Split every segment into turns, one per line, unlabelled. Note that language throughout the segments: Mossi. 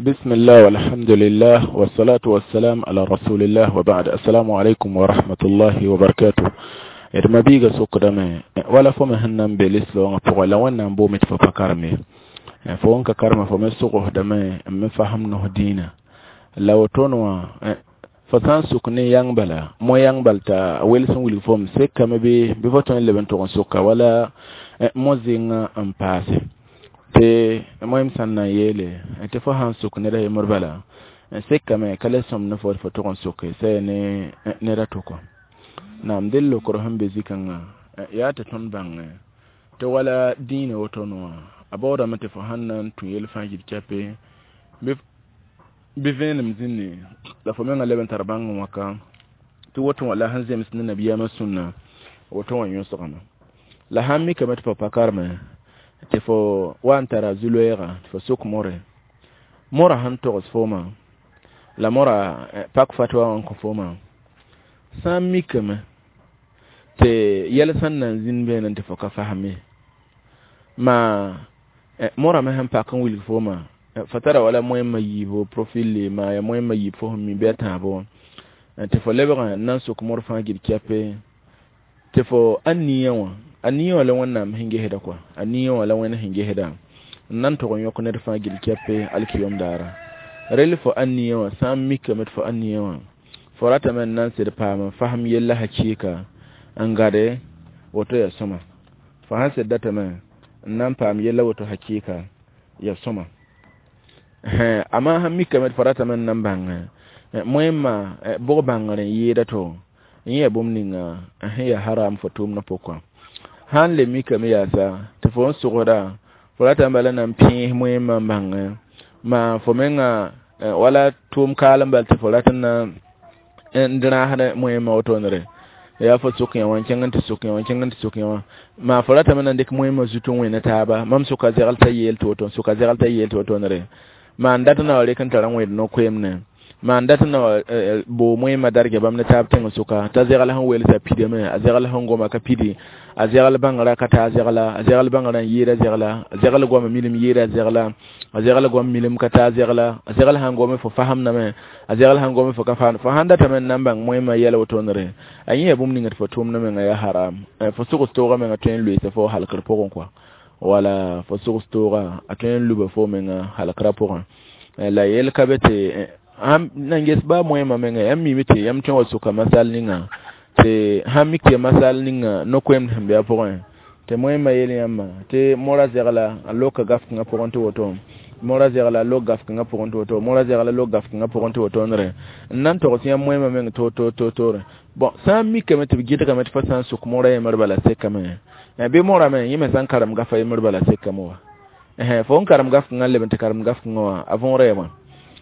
بسم الله والحمد لله والصلاة والسلام على رسول الله وبعد. السلام عليكم ورحمة الله وبركاته. D mabiiga sokdame wala fo me sẽn na n be lislaoongã pʋgẽ la Wẽnnaam boome tɩ fo pa karem ye. Fo wẽn ka karema, fo me sogsdame n me fasem nos dĩinã la wotone wã, fo sã n suk ne yãng bala, mo yãng bal t'a wels n wilg fom sekame bɩ fo tõe n leb n tʋg n soka wala mo zẽngã n paase tɩ moem sã n na n yeele tɩ fo sã n suk ned a yembr bala sekame ka le sõmd ne fo tɩ fo tʋg n soke sɛ ne ned a to kɔ. Naam, del lokr sẽn be zikãngã yaa tɩ tõnd bãngẽ tɩ wala dĩinã wotone wã a baoodame tɩ fo sãn na n tũ yel fãa gil kɛpe bɩ vẽenem zĩnni la fo mengã leb n tar bãng n wãka tɩ woto wã la sẽn zems ne nabiyaamã sũnna woto wã yõsgame. La sãn mikame tɩ fo pa kareme, tɩ fo wa n tara zu-loɛɛga tɩ fo sok more, mora sẽn togs fooma la mora pak fatwa wã n kõ fooma, sã n mikame tɩ yɛl sẽn na n zĩnd beene tɩ fo ka fasme, ma morame sẽn pak n wilg fooma, fo tara wala moẽmã yiibo profil ma ya moẽmã yiib fo sẽn mi bɩ a tãabo, tɩ fo lebg n na n sok mor fãa gil kɛpe tɩ fo a nia wã, a nia wã la Wẽnnaam sẽn gesda kɔa, a nia wã la Wẽnd sẽn gesda n na n tʋg n yõk ned fãa gil kɛpe alkiyom daara. Rel fo a nia wã sã n mikame tɩ fo a nia wã fo ratame n na n sed paam n fasem yella hakɩɩka n gade woto ya sõma. Fo sãn sed datame n na n paam yella woto hakɩɩka ya sõma. Amma sãn mikame tɩ fo ratame n na n bãng moẽmã bʋg bãngr n yɩɩda to n yẽ bũmb ninga sẽn ya haram fo tʋʋmdã pʋgẽ. Sãn le mikame yaasa tɩ fo n sʋgsda, fo ratame bala na n pẽes moẽmã n bãngẽ ma fo menga wala tʋʋm kaalem bal tɩ fo rat n na n rãasd moẽmã wotonere yaa fo sʋk yã wã n kẽng n tɩ sʋk yã wã n kẽng n tɩ sʋk yã wã, maa fo ratame na n dɩk moẽmã zut n wẽne taaba, mam sʋka zɛgl t'a yeel tɩ woto, n sʋka zɛgl t'a yeel tɩ wotonere, maa n dat n na wa rek n tara n wẽed no-koeemne, maa n dat n na wa boo moẽmã darga bãmb ne taab tẽng sʋka t'a zɛgl sẽn welsa pidame, a zɛgl sẽn goma ka pidi, a zɛgl bãngrã ka taa zɛgla, a zɛgl bãngrã n yɩɩda zɛgla, a zɛgl goama milim yɩɩda zɛgla, a zɛgl goam milim ka taa zɛgla, a zɛgl sãn gome fo fasemdame, a zɛgl sãn gome fo ka fasem. Fo sãn datame n na n bãng moẽmã yɛl wotonere, a yẽ ya bũmb ninga tɩ fo tʋʋmdã menga yaa haram, fo sogs toogã menga tõe n loeesa fo halkr pʋgẽ kɔa, wala fo sogs toogã a tõe n luba fo menga halkrã pʋgẽ. La yel ka be tɩ nan ges ba moẽmã menga yãmb mime tɩ yãmb tõe wa sʋka masal ninga tɩ sãn mik tɩ masal ninga no-koeemd sẽn be a pʋgẽ tɩ moẽmã yel yãmba tɩ mora zɛgla a loka gaf-kãngã pʋgẽ tɩ woto, mora zɛgla a lok gaf-kãngã pʋgẽ tɩ woto, mora zɛgla lok gaf-kãngã pʋgẽ tɩ wotonere n na n togs yãmb moẽmã meng to to to tore. Bɔn sã n mikame tɩ b gɩdgame tɩ fo sã n sʋk mora yembr bala sekame, bɩ morame yẽ me sã n karem gafa yembr bala sekame wa, fo n karem gaf-kãngã n leb n tɩ karem gaf-kãngã wã a võora ya bõe.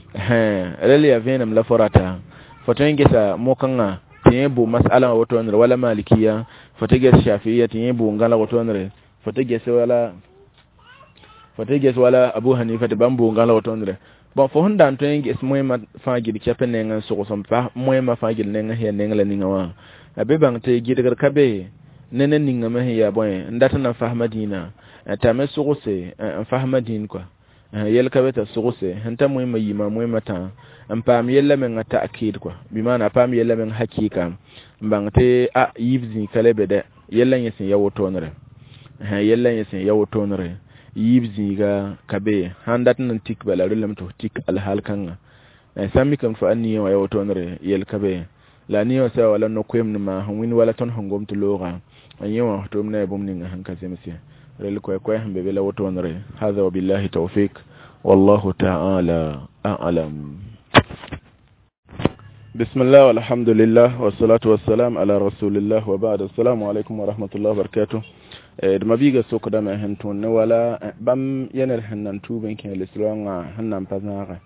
Rel ya vẽenem la fo rata fo tõe n gesa mo-kãngã tɩ yẽ bʋ masala wã wotonere wala malikiya, fo tɩ ges shafiya tɩ yẽ bʋ n gãlag wotonere, fo tɩ ges wala, fo tɩ ges wala Abu Hanifa tɩ bãmb bʋ n gãlag wotonere. Bɔn fo sẽn da n tõe n ges moẽmã fãa gil kɛp neng n sogs n pa moẽmã fãa gil neng sẽn yaa neng la ninga wã a be bãng tɩ gɩdgr ka be ne ne ningame sẽn yaa bõe n dat n na n fasma dĩinã t'a me sogse n fasma dĩin kɔa. Yɛl ka be t'a sogse sẽn ta moẽmã yima moẽmã tã n paam yella menga ta'kid kɔa, bɩ maana a paam yella meng hakɩɩka n bãng tɩ a yiib zĩig ka le be dɛ, yella yẽ sẽn ya wotonere, yella yẽ sẽn ya wotonere yiib zĩiga ka be sãn dat n na n tik bala relame tɩ f tik alhaal kãnga. Sã n mikame tɩ fo a nia wã ya wotonere yel ka be la a nia wã sã wala no-koeemd maa sẽn wĩnd wala tõnd sẽn gom tɩ looga n yẽ wã f tʋʋmda ya bũmb ninga sẽn ka zemse rel koɛ-koɛ sẽn be be la wotonere. Hada wabillahi tawfik wallahu ta'ala a'lam. Bismillah walhamdulillah wassalatu wassalam ala rasulillah wa ba'd. Assalamu alaikum wa rahmatullahi wa barakatuh. D mabiiga sokdame sẽn tõnd ne wala bãmb yɛned sẽn na n tuub n kẽ lislaoongã sẽn na n pa zãagẽ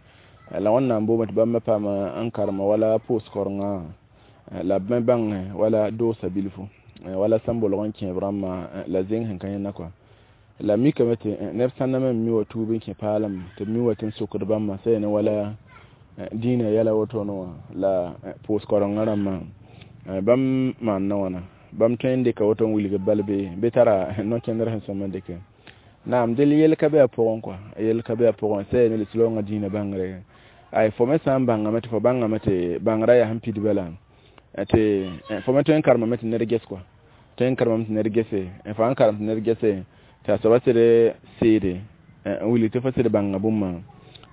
la Wẽnnaam boome tɩ bãmb me paam n karema wala pʋʋs-korenga la b me bãng wala doosa bilfu wala sẽn bolg n kẽeb rãmbã la zẽng sẽn ka yẽnna kɔa. La mikame tɩ neb sãn na me mi wa tuub n kẽ paalem tɩ b mi wa tɩ n sokd bãmbã sã ne wala dĩinã yɛla wotone wã la pʋʋs-korenga rãmbã bãmb maanda wãna bãmb tõe n dɩka woto n wilg bal bɩ tara no-kẽndr sẽn sõm n dɩke. Naam del yel ka be a pʋgẽ kɔa, yel ka be a pʋgẽ sã yaa ne lislaoongã dĩinã bãngre. Ay fo me sã n bãngame tɩ fo bãngame tɩ bãngrã yaa sẽn pid bala tɩ fo me tõe n karemame tɩ ned ges kɔa, tõe n karemame tɩ ned gese, fo sãn karem tɩ ned gese tɩ a soaba sɩd seede n wilg tɩ fo sɩd bãnga bũmba,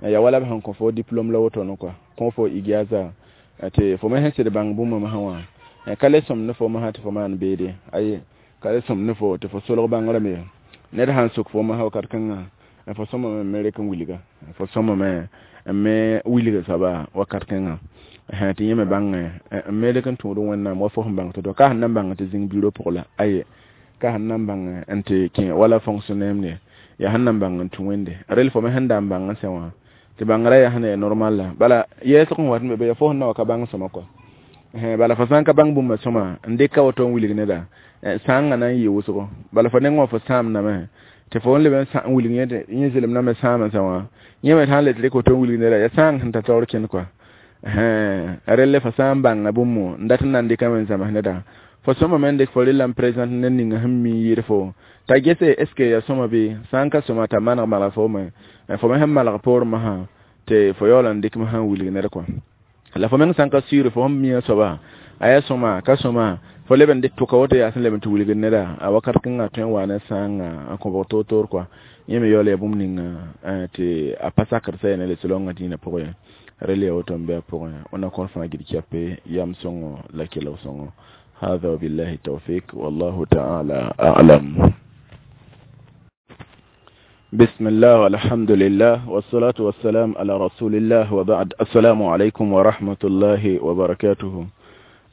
yaa wala b sẽn kõ fo diplôme la woto kɔa, kõ fo ijaza tɩ fo me sẽn sɩd bãng bũmba masã wã ka le sõmd ne fo masã tɩ fo maan beede. Aye, ka le sõmd ne fo tɩ fo solg bãngrã me. Ned sãn sok fo masã wakat kãngã, fo sõmame n me rek n wilga, fo sõmame n me wilga soaba wakat kãngã tɩ yẽ me bãngẽ n me rek n tũud Wẽnnaam wa fo sẽn bãng to-to. Ka sẽn na n bãng tɩ zĩng bureau pʋg la, aye, ka sẽn na n bãng n tɩ kẽ wala fonctionnaire ne, yaa sẽn na n bãng n tũ Wẽnde. Rel fo me sẽn da n bãng n sẽ wã tɩ bãngrã yaa sẽn na yaa normal la bala yɛɛsg n wat n be yaa fo sẽn na wa ka bãng sõma kɔa. Bala fo sã n ka bãng bũmba sõma n dɩk ka woto n wilg neda, sãangã na n yɩ wʋsgo. Bala fo nengẽ wã fo sãamdame tɩ fo n leb n wilg yẽ zɩlem na me sãama sã wã, yẽ me sã n le tɩ rɩk woto n wilg neda, yaa sãang sẽn ta taoor kẽnd kɔa. Relle fo sã n bãnga bũmb n dat n na n dɩkame n zãms neda, fo sõmame n dɩk fo rella n présente ned ninga sẽn mi n yɩɩd fo t'a gese est ce que yaa sõma bɩ sã n ka sõma t'a maneg malg fo me, fo me sẽn malg poorẽ masã tɩ fo yaool n dɩk masã n wilg ned kɔa. La fo meng sã n ka sɩɩr fo sẽn mi a soaba a yaa sõma ka sõma, fo leb n dɩk tʋka woto yaa sẽn leb n tɩ wilgd neda, a wakat kãngã tõe n wa ne sãanga n kõbg toor-toor kɔa. Yẽ me yaool yaa bũmb ninga tɩ a pa sakd sã yaa ne lislaoongã dĩinã pʋgẽ ye. Rel yaa woto n be a pʋgẽ. Wẽnna kõr fãa gil kɛpe yam sõngo la kelg sõngo. هذا وبالله التوفيق والله تعالى أعلم. بسم الله والحمد لله والصلاة والسلام على رسول الله وبعد. السلام عليكم ورحمة الله وبركاته.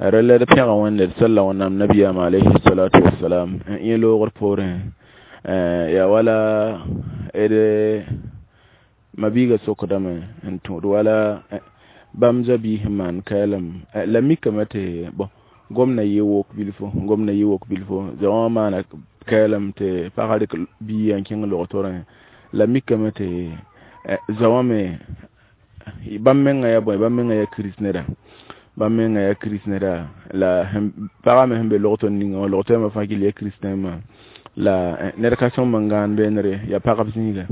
رلا pẽga wẽnde d salla Wẽnnaam nabiyaam alayhi salatu wassalam yẽ loogr poorẽ yaa wala d mabiiga sokdame n tũud wala bãmb zabiis sẽn maan kaelem la mikame tɩ bõn gomna yɩ wok bilfo, gomna yɩ wok bilfo zã wã maana kaelem tɩ pagã rɩk biigã n kẽng log-torẽ la mikame tɩ zã wã me bãmb mengã yaa bõe, bãmb mengã yaa kirist neda, bãmb mengã yaa kirist neda la pagã me sẽn be log-tor ninga wã log-toɛɛmã fãa gill yaa kiristẽmã la ned ka sõm n gãan beenre yaa pagb zĩiga,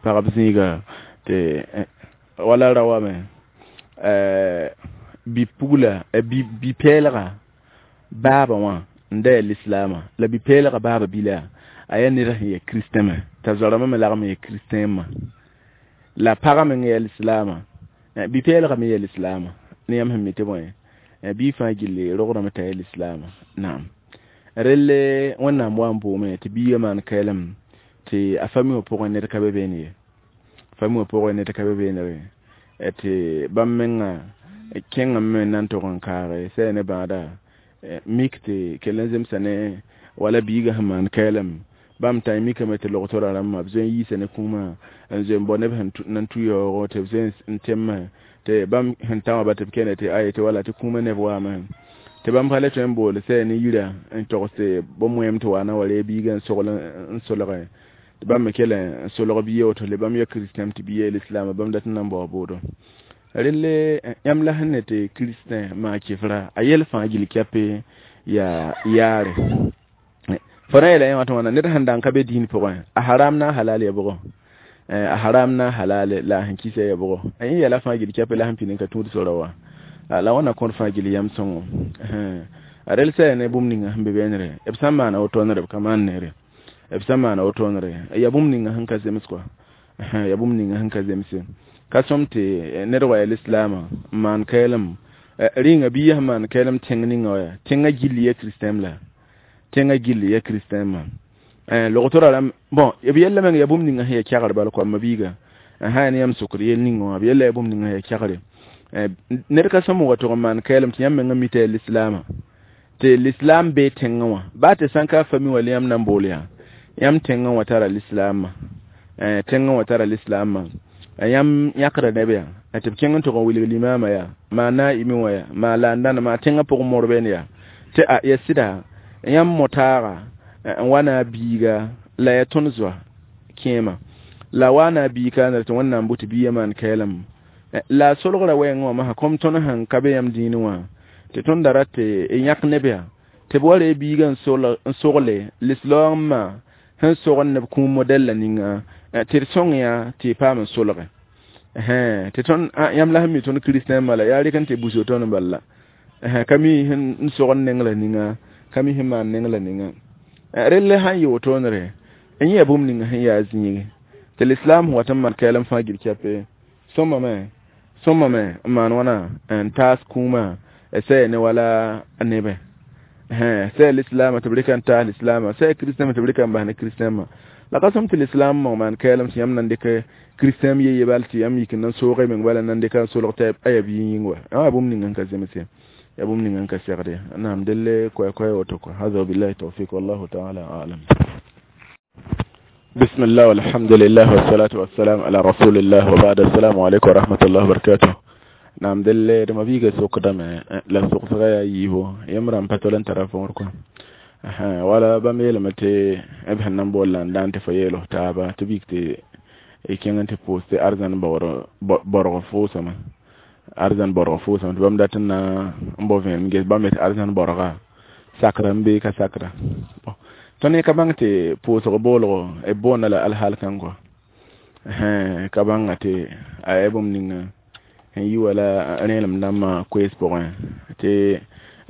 pagb zĩiga tɩ wala ra wame bi-pugla bi-pɛɛlga baaba wã n da yaa lislaamã la bi-pɛɛlga baaba bila a yaa ned sẽn yaa kristẽmã t'a zoarãmbã me lagm n yaa kristẽmã la pagã meng yaa lislaamã, bi-pɛɛlga me yaa lislaamã ne yãmb sẽn mi tɩ bõe bii fãa gilli rograme t'a yaa lislaamã. Naam, relle Wẽnnaam wa n boome tɩ biigã maan kaelem tɩ a fami wã pʋgẽ ned ka be beene ye, fami wã pʋgẽ ned ka be beenere tɩ bãmb mengã kẽngame me n na n tog n kaage sã yaa ne bãada mik tɩ kell n zemsa ne wala biigã sẽn maan kaelem bãmb tã mikame tɩ log-torã rãmbã b zoe n yiisa ne kũumã n zoe n bao neb sẽn nan tũ yaoogo tɩ b zoe n tẽmẽ tɩ bãmb sẽn ta wã ba tɩ b kẽne tɩ aye tɩ wala tɩ kũumã neb waame tɩ bãmb pa le tõe n bool sã yaa ne yira n togs tɩ bõn-moɛɛm tɩ waana wa ree biigã n sogl n solge tɩ bãmb me kell n solg biigã woto le bãmb yaa kristɛm tɩ biigã yaa lislaama bãmb dat n na n bao boodo. Relle yãmb la sẽn ne tɩ kristɛn maa kefra a yɛl fãa gill kɛpe yaa yaare fo na yeela yẽ wã tɩ wãna ned sẽn da n ka be dĩin pʋgẽ a haram na a halal ya bʋgɔ, a haram na halal la a sẽn kisa ya bʋgɔ, yẽ yɛla fãa gill kɛpe la sẽn pid n ka tũud sora wa la wãna kõr fãa gill yam sõngo. A rel sã yaa ne bũmb ninga sẽn be beenre b sã n maana wotone b ka maan neere, b sã n maana wotone yaa bũmb ninga sẽn ka zems kɔa, yaa bũmb ninga sẽn ka zemse ka sõm tɩ ned wa yaa lislaamã n maan kaelem rĩnga biigã sẽn maan kaelem tẽng ninga wa yaa tẽngã gilli yaa kristɛm la tẽngã gilli yaa kristɛmã log-torã rãmb bõn b yella meng yaa bũmb ninga sẽn yaa kɛgr bala koamã biiga sã yaa ne yãmb sokd yell ninga wã b yella yaa bũmb ninga sẽn yaa kɛgre ned ka sõm n wa tʋg n maan kaelem tɩ yãmb mengã mi tɩ yaa lislaamã tɩ lislaam bee tẽngã wã baa tɩ sã n ka fami wã la yãmb na n bool yaa yãmb tẽngã wã tara lislaamã, tẽngã wã tara lislaamã yãmb yãkda neb yaa tɩ b kẽng n tʋg n wilg limaamã yaa maa naa'ime wã yaa maa laandãna maa tẽngã pʋgẽ morbeen yaa tɩ a yaa sɩda yãmb motaaga n wa na a biiga la yaa tõnd zoa kẽema la wa na a biig kaanr tɩ Wẽnnaam bʋ tɩ biigã maan kaelem la a solgra wɛɛngẽ wã masã kom tõnd sẽn ka be yãmb dĩinẽ wã tɩ tõnd da rat tɩ yãk neb yaa tɩ b wa ree biigã n sogle lislaoongmã Sẽn sog n neb kũum modɛl la ninga tɩ d sõng yã tɩ y paam n solge tɩ tõnd yãmb la sẽn mi tõnd kristɛn bala yaa rɩk n tɩ buso tõnd bala la ka mi sẽn sog n neng la ninga ka mi sẽn maan neng la ninga rell sãn yɩ wotoonre n yẽ bũmb ninga sẽn yaa zĩigi tɩ lislaam sẽn wat n maan kɛɛlem fãa gil kɛpe sõmame sõmame n maan wãna n taas kũumã sɛ ne wala nebẽ sɛ lislaamã tɩ b rɩka n taas lislaamã sɛ kristɛmã tɩ b rɩka n bas ne kristɛmã la ka sõm tɩ lislaam mong maan kɛɛlem tɩ yãmb nan dɩk kristɛm ye bal tɩ yãmb yik n nan soog y meng bala nan dɩka n solg tɩ a yaa bia yĩng wa yaa bũmb ninga n ka zemse ya bũmb ninga n ka segde naam delle koɛ-koɛ woto kɔ hada wabillahi tawfik wallahu taala alam. بسم الله والحمد لله والصلاة والسلام على رسول الله وبعد. السلام عليكم ورحمة الله وبركاته. نعم دل ما بيجا سوق دم لا سوق صغير يهو يمرن بتولن ترى فوركم wala bãmb yeelame tɩ b sẽn na n bool la n daan tɩ fo yeel f taaba tɩ b yik tɩ y kẽng n tɩ pʋʋs tɩ arzãn borg fʋʋsame arzãn borg fʋʋsame tɩ bãmb dat n na n bao vẽenem ges bãmb yetɩ arzãn borga sakra n bee ka sakra. Tõnd ka bãng tɩ pʋʋsg boolgo b boonda la alhaal kãng kɔ ka bãnga tɩ a yaa bũmb ninga sẽn yi wala rẽelem dãmbã koees pʋgẽ tɩ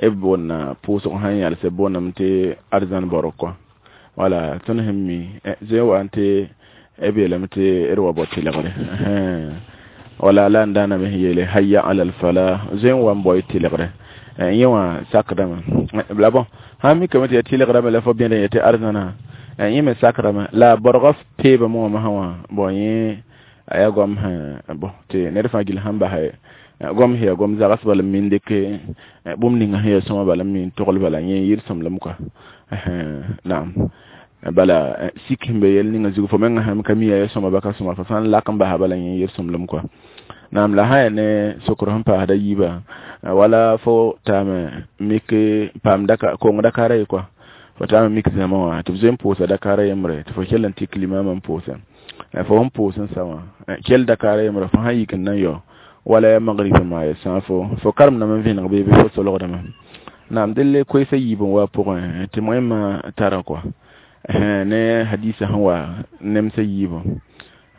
b boonna pʋʋsg sãn yals b boondame tɩ arzãn borg kɔ wala tõnd sẽn mi zoe wa n tɩ b yeelame tɩ d wa bao tɩlgre wala la n daaname sẽn yeele hayya ala alfalah zoe n wa n bao y tɩlgre yẽ wã sakdame la bõ sãn mikame tɩ ya tɩlgrame la fo bẽd n yetɩ arzãna yẽ me sakrame la borgã peebame wã masã wã bon yẽ a yaa goam sẽn bõ tɩ ned fãa gill sãn basɛ goam sẽn yaa goam zags bala n min dɩk bũmb ninga sẽn yaa sõma bala n min togl bala yẽ yɩ d sõmblem kɔa naam bala sik sẽn be yɛl ninga zug fo menga sãn ka mi yaa sõma ba ka sõma fo sãn lak n basa bala yẽ yɩ d sõmblem kɔa naam la sã yaa ne sokr sẽn paasda yiibã wala fo taame mik paam daka kong dakara ye kɔa fo taame mik zãma wã tɩ b zoe n pʋʋsa dakara yembre tɩ fo kell n tik limamã n pʋʋsẽ fo sẽn pʋʋs n sa wã kell dakara yembre fo sãn yik n na n yao wala ya magrib ma ya sã fo fo karemdame n vẽneg bee bɩ fo solgdame naam delle koeesã yiib n wa pʋgẽ tɩ moẽmã tara kɔa ne hadisa sẽn wa nemsã yiibã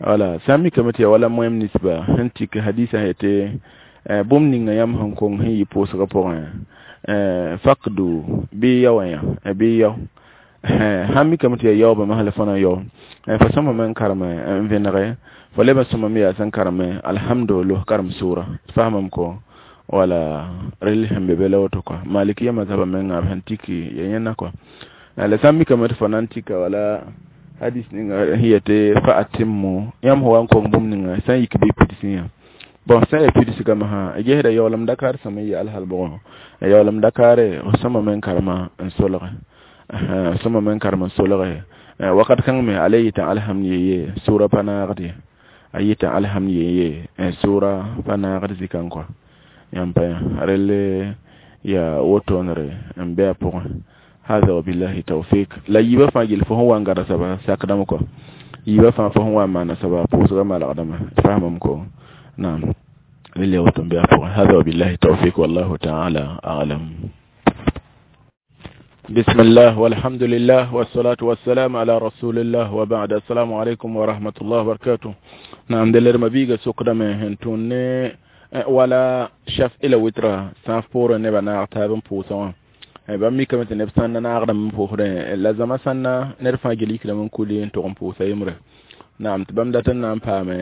wala sã n mikame tɩ ya wala moẽm ninsba sẽn tik hadisa sẽn yetɩ bũmb ninga yãmb sẽn kong sẽn yɩ pʋʋsgã pʋgẽ fakdu bɩ yao yã bɩ yao sãn mikame tɩ ya yaoobã masã la fo na n yao fo sõmame n karem n vẽnege fo leb n sõmame yaa sẽn kareme alhamdu los karem sʋʋra faamame ko wala rel sẽn be be la woto kɔa malikiya mazhaba menga b sẽn tiki ya yẽnna kɔa la sã n mikame tɩ fo na n tika wala hadis ninga sẽn yetɩ fa atimmu yãmb sẽn wa n kong bũmb ninga sã n yik bɩ pidsẽ yã bon sã n yaa pidsgame sã gesda yaoolem dakar sõm n yɩ alhal bʋgẽ yaoolem dakare f sõmame n karema n solge sõmame n karem n solge wakat kãng me a le yɩtã alhamd yeye sʋʋra pa naagd ye a yɩtã alhamd yeye sʋʋra pa naagd zikãng kɔa yãmb pa yã rell yaa wotoonre n be a pʋgẽ hada wabillahi tawfik la yiibã fãa gill fo sẽn wa n gãd soaba sakdame kɔ yiibã fãa fo sẽn wa n maana soaba pʋʋsgã malgdame faamame ko naam rell yaa woto n be a pʋgẽ hada wabillahi tawfik wallahu taala alam. بسم الله والحمد لله والصلاة والسلام على رسول الله وبعد. السلام عليكم ورحمة الله وبركاته. نعم دلر مبيغا سوكرا هنتون ولا شف إلى وترا سانف بورا نبا ناغتابن بوسوا bãmb mikame tɩ neb sãn na naagdame n pʋʋsdẽ la zãma sãnna ned fãa gil yikdame n kuli n tʋg n pʋʋsa yembre naam tɩ bãmb dat n na n paame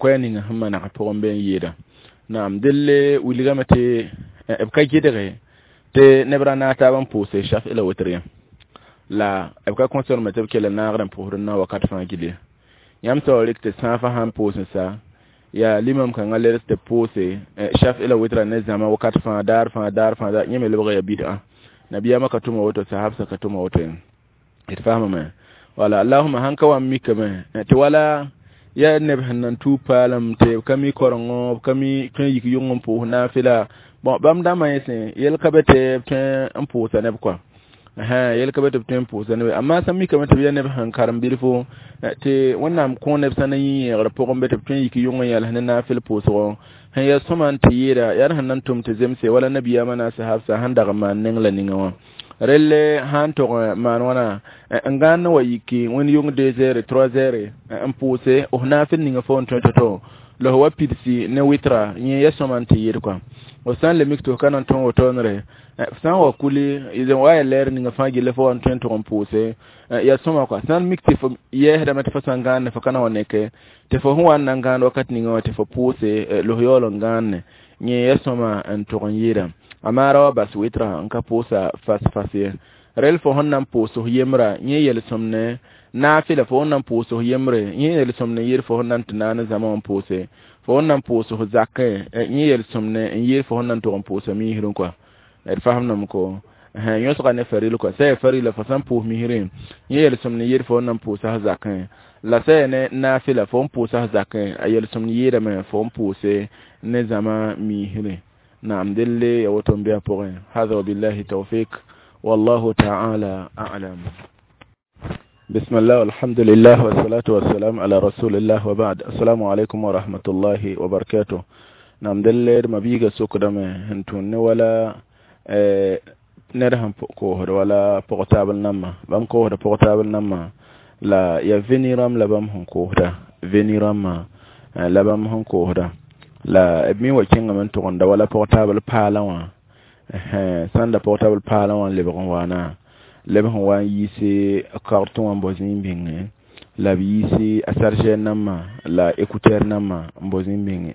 koɛɛ ninga sẽn maneg pʋgẽ bee n yɩɩda naam delle wilgame tɩ b ka gɩdge tɩ neb ra naag taab n pʋʋse shaf la witr yã la b ka kõsorme tɩ b kell n naagd n pʋʋsd n na wakat fãa gil ye yãmb sao rɩk tɩ sãafã sãn pʋʋs n sa yaa limam kãngã leds tɩ pʋʋse shaf la witra ne zãma wakat fãa daar fãa daar fãa yẽ me lebga yaa bid'a nabiyama ka tʋma woto sahabsa ka tʋma woto d faamame wala allahuma sãn ka wa n mikame tɩ wala yaa neb sẽn nan tuub paalem tɩ b ka mi korengo b ka mi tõe n yik yʋng n pʋʋs naafɩla bon bãmb dãmbã yẽ sẽ yel ka be tɩ b tõe n pʋʋsa neb kɔa yel ka be tɩ b tõe n pʋʋsa neb amma sã n mikame tɩ b yaa neb sẽn karem bilfo tɩ wẽnnaam kõ neb sã na yĩ yẽegr pʋgẽ be tɩ b tõe n yik yʋng n yals ne naafɩl pʋʋsgɔ sẽn yaa sõma n tɩ yɩɩda yaa sẽn na n tʋm tɩ zemse wala nabiyaamã na a sahabsa sẽn dag n maan neng la ninga wã Relle sãn tog maan wãna n gãand n wa yiki wẽnd yʋng 2 heures 3 heures n pʋʋse f naafɩl ninga fo n tõe to-to la f wa pidsi ne wɩtra yẽ ya sõma n tɩ yɩɩd kɔa f sã n le mik tɩ f ka na n tõe wotone f sã n wa kuli wa ya lɛɛr ninga fãa gilla fo wa n tõe n tʋg n pʋʋse ya sõma kɔa sã n mik tɩ f yɛɛsdame tɩ fo sã n gãande fo ka na wa neke tɩ fo sẽn wa n na n gãand wakat ninga wã tɩ fo pʋʋse la f yaool n gãande yẽ ya sõma n tʋg n yɩɩda a maara wa bas wɩtra n ka pʋʋsa fas-fas ye rel fo sẽn na n pʋʋs f yembra yẽ yel-sõmne naafɩla fo sẽn na n pʋʋs f yembre yẽ yel-sõmne yɩɩd fo sẽn na n tɩ naane zãma wã n pʋʋse fo sẽn na n pʋʋs f zakẽ yẽ yel-sõmne n yɩɩd fo sẽn na n tʋg n pʋʋsa misrẽ kɔa d fasemdame ko yõsga ne faril kɔa sã ya farila fo sã n pʋʋs misrẽ yẽ yel-sõmne yɩɩd fo sẽn na n pʋʋsa f zakẽ la sã ya ne naafɩla fo n pʋʋsa f zakẽ a yel-sõmd yɩɩdame fo n pʋʋse ne zãma misrẽ نعم دلي يوتم بها بوغين هذا وبالله توفيق والله تعالى أعلم. بسم الله والحمد لله والصلاة والسلام على رسول الله وبعد. السلام عليكم ورحمة الله وبركاته. نعم دلي ما بيغا سوك دم هنتون ولا نرهم كوهر ولا portable نما بام كوهر portable نما لا يا فينيرام لا بام هن كوهر فينيرام لا بام هن كوهر la b me wa kẽngame n tʋgenda wala portable paalã wã sãn da portable paalã wã n lebg n waana leb sẽn wa n yiise kartõ wã n bao zĩig bĩnge la b yiisi a chargeur nambã la écouteur nambã n bao zĩig bĩnge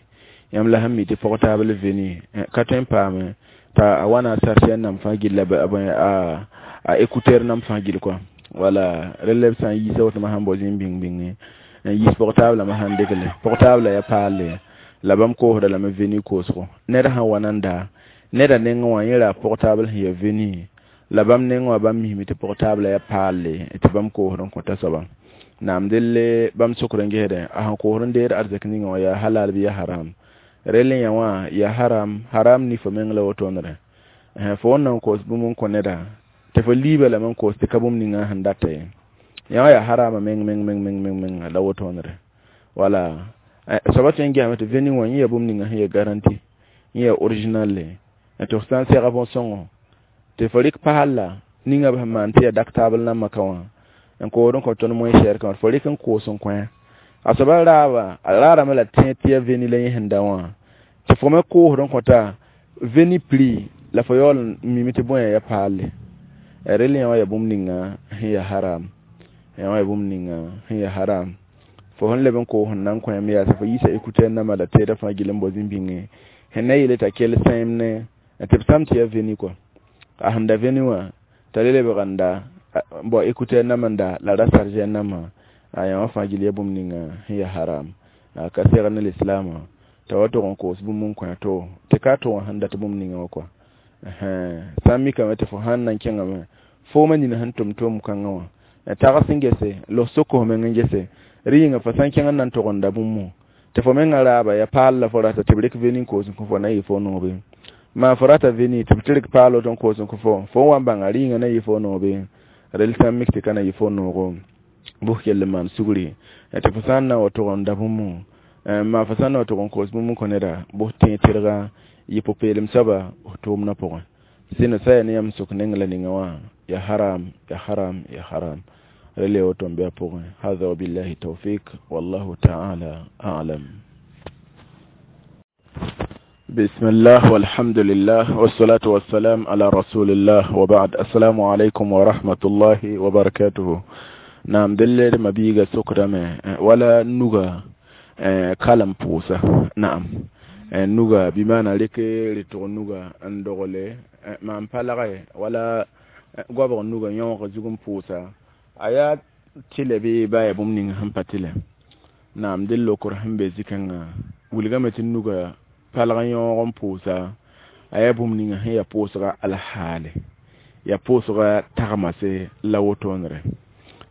yãmb la sẽn mi tɩ portable veni ka tõe n paame t'a a wa na a chargeur namb fãa gill a écouteur namb fãa gill kɔa wala rel b sã n yiisa woto sãn bao zĩig bĩng bĩnge n yiis portable ma sãn degle portable ya paalle la bãmb koosda lame veni koosgo ned sãn wa na n daa neda nengẽ wã yẽ ra portable sẽn ya veni la bãmb nengẽ wã bãmb misme tɩ portable ya paalle tɩ bãmb koosd n kõta soaba naam delle bãmb sokd n gesdẽ a sẽn koosd n deed arzɛk ninga wã yaa halal bɩ ya haram rel n yã wã ya haram haram ni fo meng la wotonere fo wẽn na n koos bũmb n kõ neda tɩ fo liiba lame n koos tɩ ka bũmb ninga sẽn data ye yã wã yaa harama meng meng meng meng meng meng la wotonere wala soaba tõe n gesame tɩ veni wã yẽ ya bũmb ninga sẽn ya garanti yẽ ya original le tɩ f sã n sɛga bõn-sõngo tɩ fo rɩk paal ninga b sẽn maan tɩ ya dak taabl nambã ka wã n kood n kõ tõnd moẽ sɛr kã fo rɩk n koos n kõ a soaba raaba a raarame la tẽ tɩ ya veni la yẽ sẽn da wã tɩ fo me koosd n kõta veni prix la fo yaool n mime tɩ bõe ya paalle rel yã wã ya bũmb ninga sẽn ya haram yã wã ya bũmb ninga sẽn ya haram fo sẽn leb n koos n na n kõ yãmb yaasa fo yiisa écouteur nambã la teedã fãa gill n bao zĩig bĩnge sẽn na yeele t'a kell sẽem ne tɩ b sãm tɩ ya veni kɔa a sẽn da veni wã t'a le lebg n da bao écouteur nambã n da la ra chargeur nambã a yã wã fãa gill ya bũmb ninga sẽn ya haram ka segd ne lislaamã t'a wa tʋg n koos bũmb n kõ to tɩ ka tʋg n sẽn dat bũmb ninga wã kɔa sã n mikame tɩ fo sãn na n kẽngame foomã nina sẽn tʋm tʋʋm kãngã wã tags n gese la f sok f meng n gese rɩ yĩnga fo sã n kẽng n na n tʋg n da bũmb tɩ fo mengã raaba ya paal la fo rata tɩ b rɩk veni n koos n kõ fo na yɩ fo noobe maa fo rata veni tɩ b tɩ rɩk paal woto n koos n kõ fo fo n wa n bãnga rɩ yĩnga na yɩ fo noobe rel sã n mik tɩ ka na yɩ fo noogo bʋs kell n maan sugri tɩ fo sã n na wa tʋg n da bũmb maa fo sã n na wa tʋg n koos bũmb n kõ neda bʋs tẽ tɩrga yɩ pʋ-peelem soaba f tʋʋmdã pʋgẽ sɩnã sã ya ne yãmb sok neng la ninga wã ya haram ya haram ya haram rel woto n bɩ a pʋgẽ hada wabillahi tawfik wallahu ta'ala a'lam. بسم الله والحمد لله والصلاة والسلام على رسول الله وبعد. السلام عليكم ورحمة الله وبركاته. نعم دلر مبيغا سكرمه ولا نوغا كلام بوسا. نعم نوغا بمعنى لك لتغ نوغا اندغولي ما امبالغي ولا غوابغ نوغا يونغ زوغم بوسا آيات تيلي بي باي بومنين هم باتيلي. نعم دلو كرهم بزيكنا ولغمة نوغا palg n yõog n pʋʋsa a yaa bũmb ninga sẽn ya pʋʋsga alhaale ya pʋʋsga tagmase la wotoonere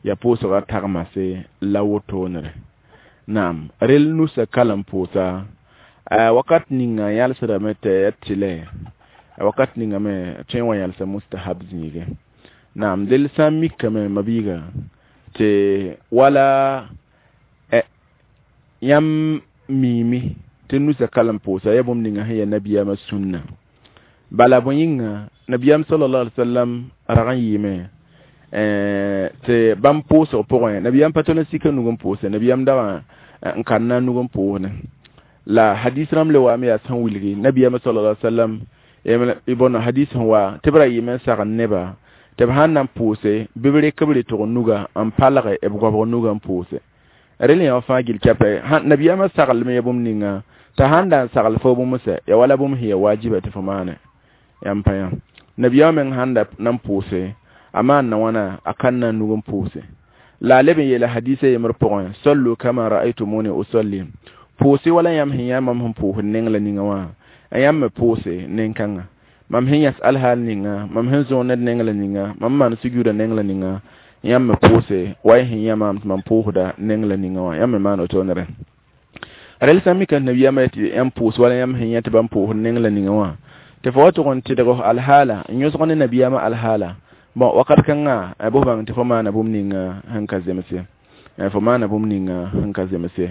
ya pʋʋsga tagmase la wotoonere naam rel nusa kalem pʋʋsa wakat ninga yalsdame tɩ ya tɩlɛ wakat ninga me tõe n wa yalsa mustahab zĩige naam del sã n mikame mabiiga tɩ wala yãmb miime tɩ nusa kalem pʋʋsa ya bũmb ninga sẽn ya nabiyaamã sũnna Bala bõe yĩnga nabiyaam sallallahu alaihi wasallam rag n yɩɩme tɩ bãmb pʋʋsg pʋgẽ nabiyaam pa tol n sika nug n pʋʋse nabiyaam dag n kãnna nug n pʋʋsdẽ la hadis rãmb le waame yaa sẽn wilgi nabiyaam sallallahu alaihi wasallam y bõn hadis sẽn wa tɩ b ra yɩɩme n sagn neba tɩ b sãn na n pʋʋse bɩ b rek b retg nuga n palge b goabg nuga n pʋʋse rel yã fãa gil kɛpɛ nabiyaamã saglme ya bũmb ninga t'a sãn da n sagl fo bũmb sɛ ya wala bũmb sẽn ya wajiba tɩ fo maane yãmb pa yã nabiyaamã meng sãn da na n pʋʋse a maan na wãna a kãnna nug n pʋʋse la a leb n yeela hadisa yembr pʋgẽ sallu kama ra'aytumuni usalli pʋʋse wala yãmb sẽn yã mam sẽn pʋʋsd neng la ninga wã yãmb me pʋʋse nen-kãnga mam sẽn yãs alhaal ninga mam sẽn zõog ned neng la ninga mam maan sujuuda neng la ninga yãmb me pʋʋse wa y sẽn yã maam tɩ mam pʋʋsda neng la ninga wã yãmb me maan wotone rẽ rel sã n mika nabiyaamã tɩ yãmb pʋʋs wala yãmb sẽn yã tɩ bãmb pʋʋsd neng la ninga wã tɩ fo wa tʋg n tɩdg alhaala n yõsg ne nabiyaamã alhaala bon wakat kãnga bʋs bãng tɩ fo maana bũmb ninga sẽn ka zemse fo maana bũmb ninga sẽn ka zemse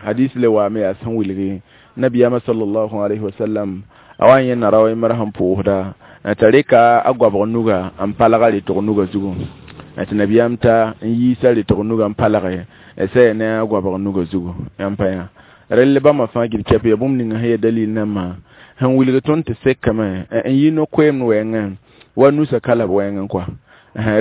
hadis le waame yaa sẽn wilgi nabiyaamã sallallahu alayhi wasallam a wa n yẽnna rao yembr sẽn pʋʋsda t'a reka a goabg nuga n palga retg nuga zugu tɩ nabiyaam ta n yiisa retg nuga n palge sɛ ne a goabg nuga zugu yãmb pa yã rel bãmba fãa gil kɛp ya bũmb ninga sẽn ya dalil nambã sẽn wilg tõnd tɩ sekame n yi no-koeemd wɛɛngẽ wa nusa kala b wɛɛngẽ kɔa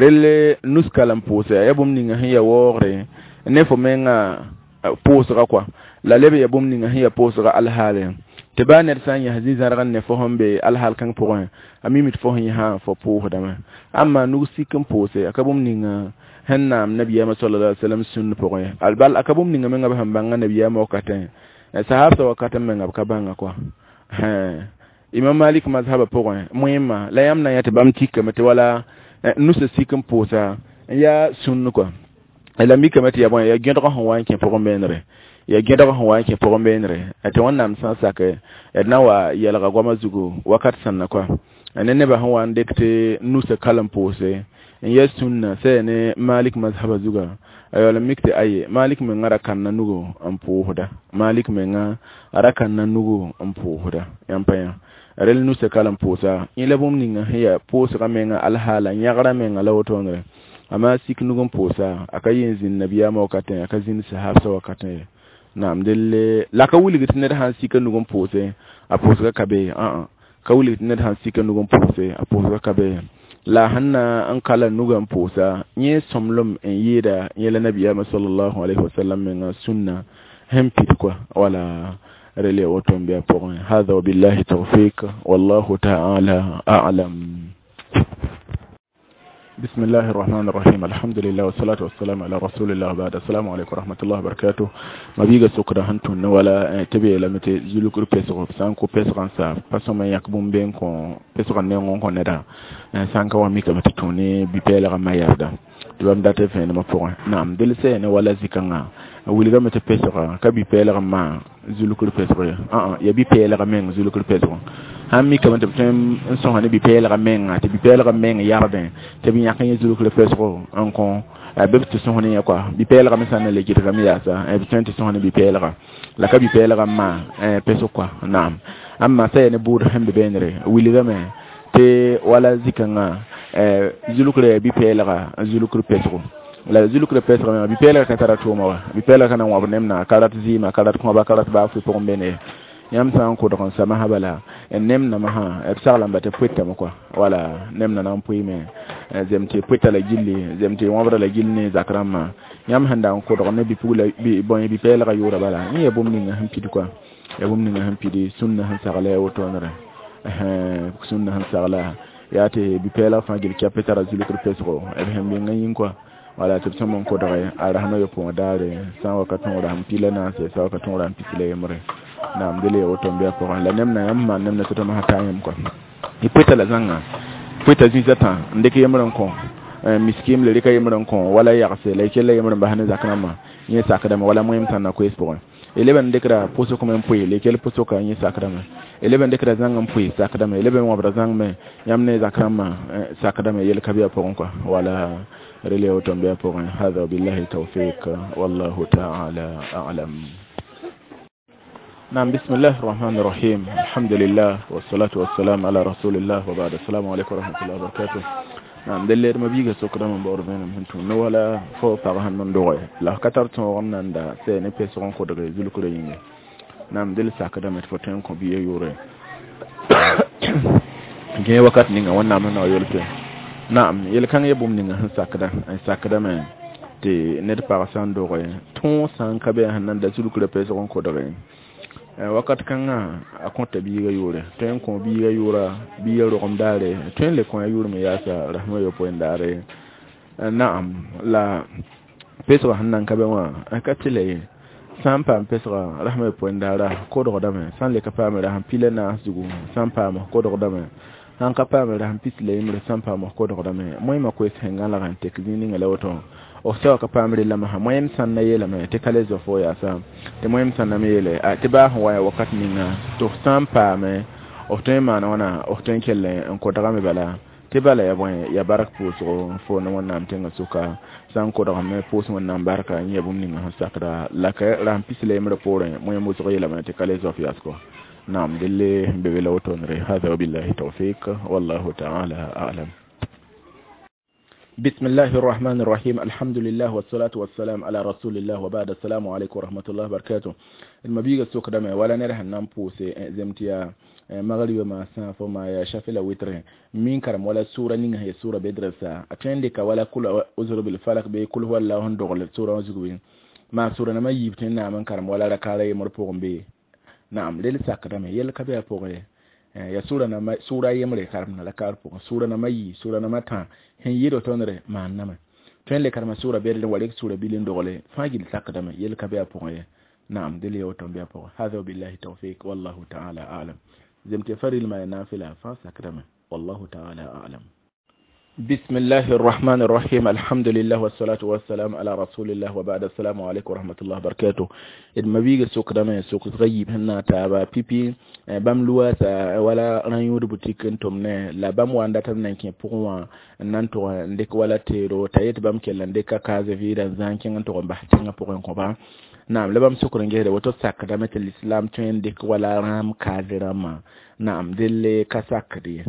rel nus kala n pʋʋsa ya bũmb ninga sẽn ya waoogre ne fo menga pʋʋsga kɔa la leb ya bũmb ninga sẽn ya pʋʋsga alhaale tɩ baa ned sã n yãs zĩ-zãrg n ne fo sẽn be alhaal kãng pʋgẽ a mimi tɩ fo sẽn yãsã fo pʋʋsdame amma nug sik n pʋʋse a ka bũmb ninga sẽn naam nabiyaamã sallallahu alaihi wasallam sũnd pʋgẽ bal a ka bũmb ninga menga b sẽn bãnga nabiyaamã wakatẽ sahabsã wakatẽ menga b ka bãnga kɔa imam malik mazhaba pʋgẽ moẽmã la yãmb na yã tɩ bãmb tikame tɩ wala nusa sik n pʋʋsa n yaa sũnd kɔa la mikame tɩ ya bõe ya gẽdg sẽn wa n kẽ pʋgẽ beenre ya gẽdg sẽn wa n kẽ pʋgẽ beenre tɩ wẽnnaam sã n sake d na wa yɛlga goamã zugu wakat sẽn na kɔa ne nebã sẽn wa n dɩk tɩ nusa kal n pʋʋse n ya sũnna sɛ ne malik mazhaba zuga a yaool n mik tɩ aye malik menga ra kãnna nugu n pʋʋsda malik menga ra kãnna nugu n pʋʋsda yãmb pa yã rel nusa kal n pʋʋsa yẽ la bũmb ninga sẽn ya pʋʋsga menga alhaala yãgra menga la wotone amma sik nug n pʋʋsa a ka yẽ zĩnd nabiyaamã wakatẽ a ka zĩnd sahabsã wakatẽ ye naam delle la ka wilg tɩ ned sãn sika nug n pʋʋse a pʋʋsga ka be ka wilg tɩ ned sãn sika nug n pʋʋse a pʋʋsga ka be la sẽn na n kala nugã n pʋʋsa yẽ sõmblem n yɩɩda yẽ la nabiyaamã sallallahu alayhi wasallam menga sũnna sẽn pid kɔa wala rel ya woto n bɩ a pʋgẽ hada wabillahi tawfik wallahu ta'ala a'lam. بسم الله الرحمن الرحيم الحمد لله والصلاة والسلام على رسول الله بعد السلام عليكم ورحمة الله وبركاته ما بيغا سكرا هنتون ولا تبي لمتي زلوكر بيسغ سانكو بيسغ سا باسو ما يكبون بين كون بيسغ نيون كون ندا سانكا وميكا متتوني بيبيلغ ما يردا تبام داتي فين ما فوق نعم دلسي ولا زيكا wilga mete pesga ka bi peelg ma zulukr pesg ya bi peelg meng zulukr pesg sãn mikame tɩ b tõe n sõsa ne bi-peelg menga tɩ bi-peelg meng yardẽ tɩ b yãk yẽ zulukr pesgo n kõ bɩ b tɩ sõs ne yẽ kɔa bi-peelga me sã n na le gɩdgame yaasa b tõe tɩ sõs ne bi-peelga la ka bi-peelga n maa pesg kɔa naam amma sã ya ne buud sẽn be beenre wilgame tɩ wala zikãngã zulukr ya bi-peelga zulukr pesgo la zulukr pesg me bi-peelga ka tara tʋʋma wa bi-peelga ka na n wãb nemna ka rat zɩɩma ka rat kõba ka rat baa fʋ pʋgẽ beene yãmb sã n kʋdg n sama bala nem nama sã b saglã ba tɩ pʋɩtame kɔa wala nem na n pʋɩme zem tɩ pʋɩta la gilli zem tɩ wãbra la gill ne zak rãmbã yãmb sẽn da n kʋdg ne bi-pugla bõe bi-peelga yʋʋra bala yẽ ya bũmb ninga sẽn pid kɔa ya bũmb ninga sẽn pidi sũnna sẽn sagla ya wotoonre sũnna sẽn sagla yaa tɩ bi-peelg fãa gil kɛp tara zulukr pesgo b sẽn menga yĩng kɔa wala tɩ b sõm n kʋdge a rasmã yopoẽ daare sã n wa ka tõog rasem pila naase sã wa ka tõog rasem pis la yembre naam dele ya woto n bɩ a pʋgẽ la nem na yãmb maan nem na tɩ tõnd sã taa yẽm kɔa y pʋɩta la zãnga pʋɩta zĩisã tã n dɩk yembr n kõ miskim le rɩka yembr n kõ wala yagse la y kell yembr n bas ne zak rãmbã yẽ sakdame wala moẽm sã n na koees pʋgẽ y leb n dɩkra pʋsg me n pʋɩ la y kell pʋsgka yẽ sakdame y leb n dɩkra zãng n pʋɩ sakdame y leb n wãbra zãng me yãmb ne zak rãmbã sakdame yel ka bɩ a pʋgẽ kɔa wala rel ya woto n bɩ a pʋgẽ hada wabillahi tawfik wallahu taala alam. نعم، بسم الله الرحمن الرحيم، الحمد لله والصلاة والسلام على رسول الله وبعد، السلام عليكم ورحمة الله وبركاته. نعم، delle ma biiga sokdame n baood vẽenem sẽn tũ ne wala fo pag sẽn n doge la f ka tar tõog n nan da sɛ ne pesg n kodge zulkrã yĩnge. Naam, del sakdame tɩ fo tõe n kõ biigã yʋʋre gẽ wakat ninga Wẽnnaam sẽn na wa yolse. Naam, yel-kãng ya bũmb ninga sẽn sakda n sakdame tɩ ned pag sã n doge tõog sã n ka be sẽn nan da zulkrã pesg n kodge wakat kãngã, a kõta biigã yʋʋre, tõe n kõ biigã yʋʋra biigã rogem daare, tõe n le kõ a yʋʋr me yaasa rasmã yopoe n daare. Naam, la pesgã sẽn nan ka be wã ka tɩ la ye sã n paam pesga rasmã yopoe n daara kodgdame, sã n le ka paame rasm pila naas zugu, sã n paam kodgdame, sãn ka paame rasm pis la yembre, sã n paam kodgdame. Moẽmã koes sẽn gãlg n tek zĩig ninga la woto f soa ka paam rellame sã moẽm sãn na yeelame tɩ ka le zoa fo yaasa tɩ moẽm sãn na me yeele tɩ baa sẽn wa ya wakat ninga tɩ f sã n paame f tõe n maana wãna f tõe n kell n kodgame bala tɩ bala ya bõe ya bark pʋʋsgo fo ne Wẽnnaam tẽngã sʋka sã n kodgame pʋʋs Wẽnnaam barka n yã bũmb ninga sẽn sakda la ka rasm pis la yembrã poorẽ moẽm wʋsg yeelame tɩ ka le zoa f yaasgo. Naam, delle be be la wotonre. Hada wabillahi tawfiq, wallahu ta'ala a'lam. بسم الله الرحمن الرحيم، الحمد لله والصلاة والسلام على رسول الله وبعد، السلام عليكم ورحمة الله وبركاته. المبيغ السوق دمي ولا نره نامبوسي زمتيا مغرب ما سان فما يا شافلا وتر من كرم ولا سورة نينها هي سورة بدرسة أتندك ولا كل أزر بالفلق بكل هو الله هندغل سورة زغوين ما سورة نما يبتنا من كرم ولا ركالة مرفوع بي. نعم، ليل ساكرمي يل كبير فوقه ya sura na sura yemre karma la kar pʋgẽ sura nama yi sura nama tã sẽn yɩɩd tõndre maanname tõe n le karema sura bɛd wa rek sura bil n dogle fãa gill sakdame yel ka be a pʋgẽ ye. Naam, del ya woto n be a pʋgẽ. Hada wabillahi tawfiq, wallahu ta'ala a'lam. Zem tɩ farilma ya nafila fãa sakdame, wallahu ta'ala a'lam. بسم الله الرحمن الرحيم، الحمد لله والصلاة والسلام على رسول الله وبعد، السلام عليكم ورحمة الله وبركاته. المبيغ سوق دم سوق غيب هنا تابا بيبي بام لواس ولا رانيود بوتيك انتم لا بام واندا تم نانكي بوغوا نانتو ndek wala tero tayet bam kella ndeka kaze vida zankin nto ba tinga pʋgẽ kõ. Naam, la bãmb sokr n gesda woto sakdame tɩ l'islam tõe n dɩk wala rãam kaze rãmbã. Naam, delle ka sakd ye.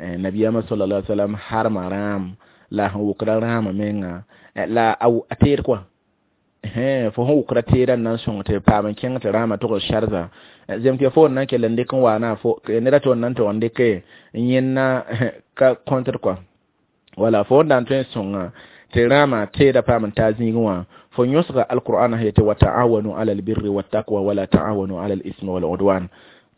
Nabiyama sallallahu alaihi wasallam harma rãam la sẽn wʋkra rãamã menga la a teed kɔa fo sẽn wʋkra teedã n na n sõng tɩ paam n kẽng tɩ rãamã tʋg sharza zem tɩ fo n na n kell n dɩk n waana fo neda tɩ n na n tʋg n dɩke n yẽnna ka contre kɔa wala fo n na n tõe n sõnga tɩ rãamã teedã paam n taa zĩigẽ wã fo yõsga alqur'ana yetɩ wa ta'awanu ala albirri wattaqwa wala ta'awanu ala al-ismi wal udwan.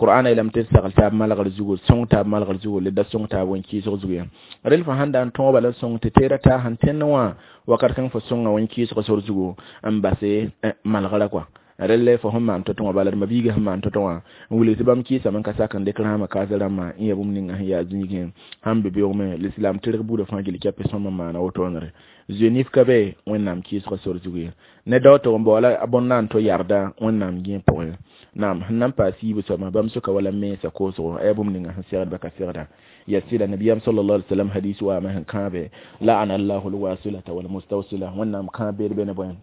Qur'ana yeelame tɩ sagl taab malgr zugu, sõng taab malgr zugu, le da sõng taab wẽn-kɩɩsg zugu ya rel fo sãn da n tõog bala sõng tɩ teedã taa sẽn tẽnd wã wakat kãng fo sõnga wẽn-kɩɩsg sor zugu n base malgrã kɔa relle fo sẽn maan to-tõ wã bala d mabiiga sẽn maan to-tõ wã n wilg tɩ bãmb kɩɩsame n ka sak n dɩk rãamã kaas rãmbã n ya bũmb ninga sẽn yaa zĩigẽ sãn be beoogme l'islam tɩrg buudã fãa gill kɛpɛ sõm n maana wotone zoe-nif ka be Wẽnnaam kɩɩsgã sor zugu ye ne dao tɩg n baoola a bõn na n to yarda Wẽnnaam gẽe pʋgẽ. Naam, sẽn na n paas yiibã soabã bãmb soka wala mensa koosgo a yaa bũmb ninga sẽn segdba ka segda ya sɩda nabiyam sallallahu alaihi wasallam hadis waame sẽn kãabe la'ana allahu alwasilata walmustawsila. Wẽnnaam kãab beed be ne bõe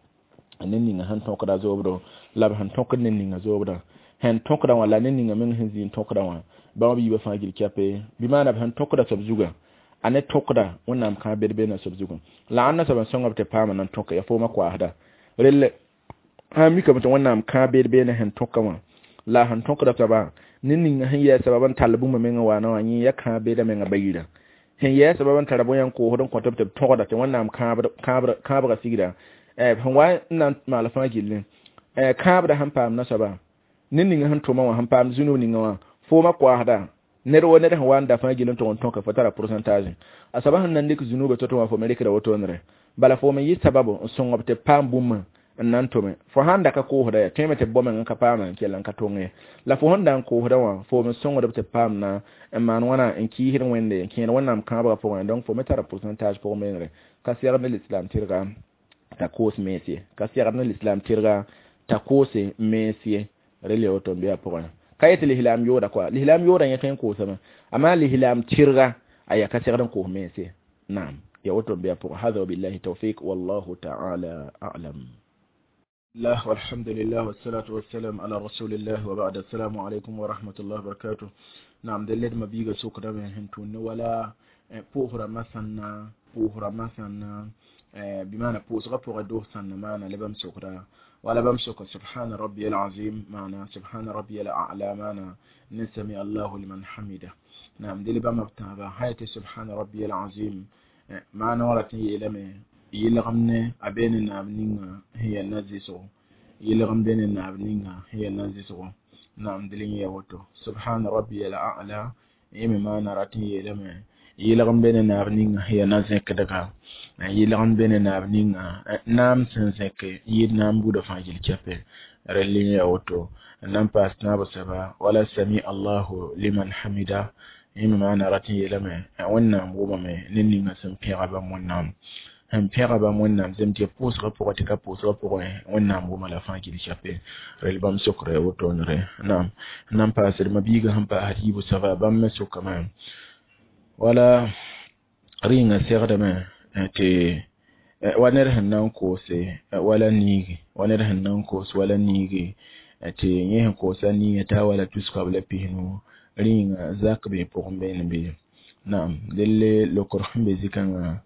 ne ninga sẽn tõkda zoobdo la b sẽn tõkd ne ninga zoobdã sẽn tõkda wã la ne ninga meng sẽn zĩ n tõkda wã bãmb biibã fãa gill kɛpe bɩ maana b sẽn tõkda soab zuga a ne tõkda Wẽnnaam kãab bed beena soab zugu la ãnna soab n sõnga b tɩ paama nan tõka ya fooma koaasda relle sã n mikame tɩ Wẽnnaam kãab bed beena sẽn tõka wã la sẽn tõkda soaba ne ninga sẽn yɛɛ sabab n tall bũmba menga waana wã yẽ ya kãab beeda menga bayira sẽn yɛɛ sabab n tara bõe n koosd n kõt b tɩ b tõgda tɩ Wẽnnaam kãabga sigda sẽn wa n na n maal fãa gilli kãabda sẽn paam nasoaba ne ninga sẽn tʋma wã sẽn paam zũnub ninga wã fooma koasda ned wo ned sẽn wa n da fãa gill n tʋg n tõka fo tara pourcentage a soaba sẽn na n dɩk zũnubã to-to wã fo me rɩkda wotonere bala fo me yɩ sababu n sõng b tɩ paam bũmba n na n tʋme fo sãn da ka koosda ya tõeme tɩ b bao meng n ka paama n kell n ka tong ye la fo sẽn da n koosda wã fo me sõngd b tɩ paam na n maan wãna n kɩɩsd Wẽnde n kẽed Wẽnnaam kãabgã pʋgẽ. Donc fo me tara pourcentage pʋgẽ menere ka segd ne l'islam tɩrga t'a koos mens ye ka segd ne l'islam tɩrga t'a koose mens ye rel ya woto n be a pʋgẽ ka yetɩ l'islam yooda kɔa l'islam yooda yẽ tõe n koosame amaa l'islam tɩrga a yaa ka segd n koos mens ye. Naam, ya woto n be a pʋgẽ. Hada wabillahi tawfiq, wallahu ta'ala a'lam. الله والحمد لله والصلاة والسلام على رسول الله وبعد السلام عليكم ورحمة الله وبركاته نعم دلد ما بيغا سوك دame hentun wala pʋʋsra masãnna pʋʋsra masãnna bimana pʋʋsga pʋgã dos sãnna maana la bãmb sokda wala bãmb soka subhana rabbi alazim maana subhana rabbi alala maana ne sami allahu liman hamida naam del bãmb b tãaba sã subhana rabbi alazim maana wã rat n yeelame yɩlgem ne a be ne naab ninga sẽn yaa na-zɩsgo yɩlgem be ne naab ninga sẽn yaa na-zɩsgo naam del n yɛa woto subhana rabbi alala yẽ me maana rat n yeelame yɩlgem be ne naab ninga sẽn yaa na-zẽkdga yɩlgem be ne naab ninga naam sẽn zẽk n yɩɩd naam buudã fãa gill kɛpɛ rel n yaa woto n na n paas tãab soaba wala sami allahu liman hamida yẽ me maana rat n yeelame wẽnnaam wʋmame ne ninga sẽn pẽga bãmb wẽnnaam sẽn pẽga bãmb wẽnnaam zem tɩ pʋʋsgã pʋgẽ tɩ ka pʋʋsgã pʋgẽ wẽnnaam wʋma la fãa gill kɛpɛ rel bãmb sokre wotonre naam n na n paasd ma-biigã sẽn paasd yiibu soaba bãmb me sokame wala rĩnga segdame tɩ wa ned sẽn na n koose wala niigi wa ned sẽn na n koos wala niigi tɩ yẽ sẽn koosa niigã t'a wala tus-koab la pisnu rĩnga zak bee pʋgẽ beene bee naam delle lokr sẽn be zikãngã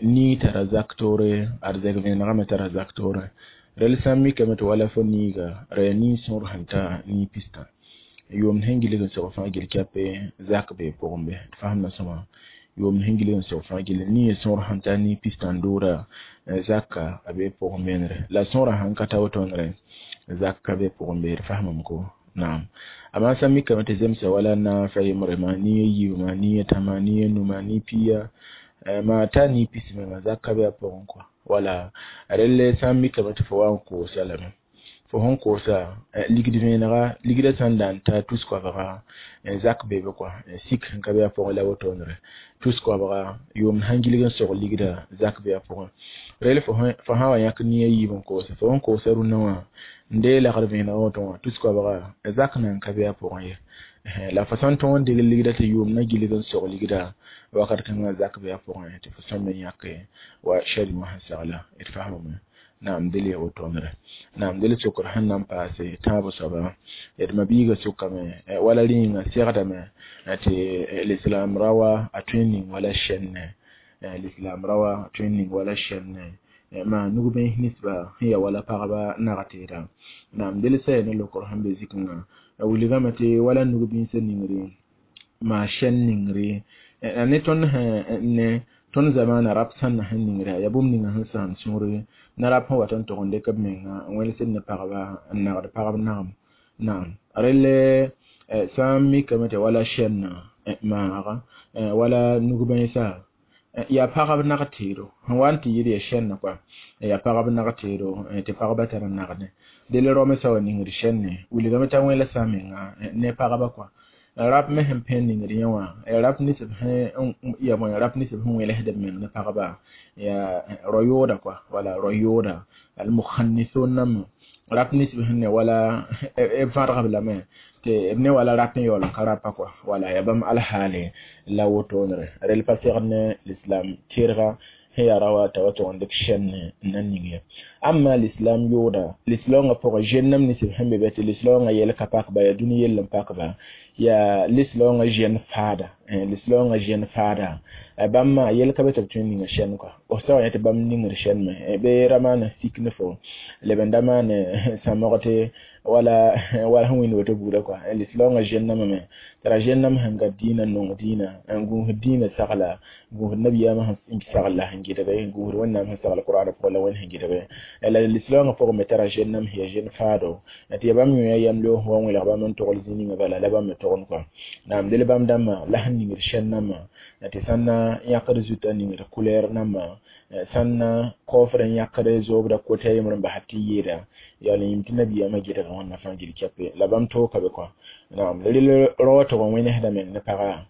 nii tara zak toore ad zɛg vẽenegã me tara zak toore rel sã n mikame tɩ wala fo niiga ra yaa nii sõor sẽn ta nii pistã yʋʋmd sẽn gilg n sog fãa gill kɛpe zak bee pʋgẽ be d fasemda sõma yʋʋmd sẽn gilg n sog fãa gill nii sõor sẽn ta nii pistã n dooda zaka a bee pʋgẽ beenre la sõorã sãn ka ta wotonre zak ka be pʋgẽ be d fasemame ko naam amma sã n mikame tɩ zemsa wala naafã yembre maa nii a yiibã nii a tãma nii a numa nii piya maa ta nii pis menga zak ka be a pʋgẽ kɔa wala relle sã n mikame tɩ fo wa n koosa lame fo sẽn koosa ligd vẽenega ligdã sã n da n ta tus-koabga zak be be kɔa sik sẽn ka be a pʋgẽ la wotonre tus-koabga yʋʋmd sãn gilg n sog ligda zak be a pʋgẽ rel fo sã wa yãk nii a yiib n koosa fo sẽn koosa rũnnã wã n dee lagd vẽenegã woto wã tus-koabga zak nan ka be a pʋgẽ ye la fo sã n tõog n degl ligda tɩ yʋʋm na gilg n sog ligda wakat kãngã zak be a pʋgẽ tɩ fo sã n me yãke wa shari wã sẽn segla d fasemame naam del ya wotonre naam del sokr sẽn na n paase tãab soaba d ma-biigã sokame wala rĩnga segdame tɩ lislam rawa a tõe n ning wala sɛnne lislam rawa a tõe n ning wala sɛnne maa nug-bẽes ninsba sẽn yaa wala pagba nag-teeda naam del saya ne lokr sẽn be zikẽngã a wilgame tɩ wala nug-bĩnsã ningre maa sɛn ningre ne tõnd ne tõnd zamaana rap sãnna sẽn ningre yaa bũmb ninga sẽn sãam sũure na rap sẽn wat n tog n dɩk b menga n wẽlsd ne pagba n nagd pagb nagem naam relle sã n mikame tɩ wala sɛnna maaga wala nug-bãensa yaa pagb nag-teedo sẽn wa n tɩ yɩɩd yaa sɛnna kɔa yaa pagb nag-teedo tɩ pagba tar n nagdẽ del rõmsã wa ningd sɛnne wilgame t'a wẽlsa a menga ne pagba kɔa rap me sẽn pẽ ningd yẽ wã rap ninsb sẽn ya bõe rap ninsb sẽn wẽlsd b meng ne pagba yaa rao-yooda kɔa wala rao-yooda almukhannisun nãmb rap ninsb sẽn ne wala b vãdgb lame tɩ b ne wala rap n yaool n ka rapa kɔa wala yaa bãmb alhaale la wotonre rel pa segd ne lislam tɩrga sẽn yaa ra wa t'a wa tʋg n dɩk sɛnne n na ning ye amma lislam yooda lislaoongã pʋgẽ zẽnnam ninsb sẽn be be tɩ lislaoongã yɛl ka pak ba yaa dũni yell n pakba yaa lislaoongã zẽn faada lislaoongã zẽn faada bãmb maa yɛl ka be tɩ b tõe n ninga sɛn kɔa b sã wa yã tɩ bãmb ningd sɛn me bee ra maan sik ne fo leb n da maan sãmg tɩ wala wala sẽn wĩnd woto buudã kɔa lislaoongã zẽnname me t'a ra zẽnnam sẽn gat dĩinã n nong dĩinã n gũusd dĩinã sagla gũusd nabiyaamã sẽn sagl la sẽn gɩdge gũusd wẽnnaam sẽn sagl qur'ana pʋgẽ la wẽnd sẽn gɩdge la lislaoongã pʋgẽ me tara zẽnnam sẽn yaa zẽn faado tɩ yaa bãmb yõ yam loog wa wẽlg bãmb n togl zĩ ninga bala la bãmb me togend kɔa naam del bãmb dãmbã la sẽn ningd sɛn nambã tɩ sãn na yãkd zutã ningd kulɛɛr nambã sãn na kaoofd n yãkd zoobda kota yembr n basd tɩ yeeda yaa la yĩm tɩ nabiyaamã gɩdg wẽnna fãa gil kɛpe la bãmb tooka be kɔa naam rel rao wã tʋg n wẽnesda meng ne pagã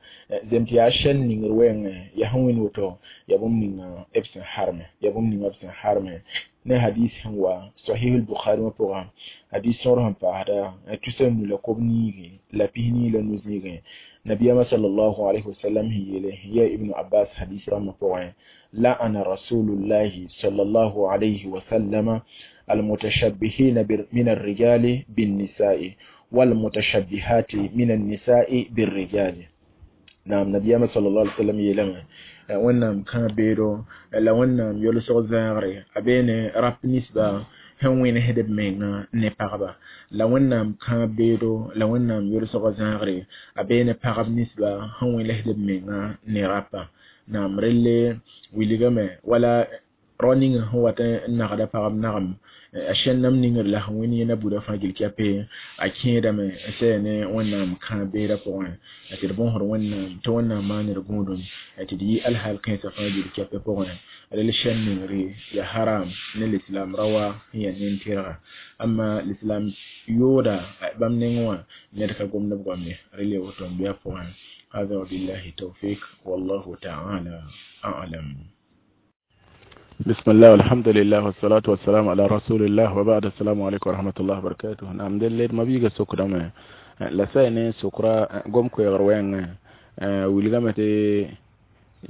zem tɩ yaa sɛn ningr wɛɛngẽ yaa sẽn wĩnd woto yaa bũmb ninga b sẽn harme yaa bũmb ninga b sẽn harme ne hadis sẽn wa sahih al-bukhari wã pʋgã hadis sõor sẽn paasda tusa nu la kob niige la pis-nii la nu-zĩigẽ nabiyama sallallahu alayhi wasallam sẽn yeele ya ibnu abbas hadis rãmbã pʋgẽ la'ana rasulullahi sallallahu alayhi wasallama المتشبهين من الرجال بالنساء والمتشبهات من النساء بالرجال. Naam, nabiyaamã sallallahu alaihi wasallam yeelame Wẽnnaam kãa beedo la Wẽnnaam yolsg zãagre a bee ne rap ninsba sẽn wẽnesd b menga ne pagba, la Wẽnnaam kãa beedo la Wẽnnaam yolsg zãagre a bee ne pagb ninsba sẽn wẽnesd b menga ne rapa. Naam, relle wilgame wala rao ning sẽn wat n nagda pagb nagem a sẽn-nam ningr la sẽn wẽnd yẽna buda fãa gil kɛpe a kẽedame n sɛ ne Wẽnnaam kãa beedã pʋgẽ tɩ d bõosd Wẽnnaam tɩ Wẽnnaam maan d gũudum tɩ d yɩ alhaal kãensã fãa gil kɛpɛ pʋgẽ. Rel sẽn ningre ya haram ne lislaam ra wa sẽn yaa nin-tɩrga, amma lislaam yooda bãmb nengẽ wã ned ka gomd b goam ye. Rel ya woto n bɩ a pʋgẽ. هذا وبالله التوفيق والله تعالى أعلم. بسم الله والحمد لله والصلاة والسلام على رسول الله وبعد. السلام عليكم ورحمة الله وبركاته. نعم، دل ما بيجا سكرة ما لا سين سكرة قوم كوي غروين ولغمة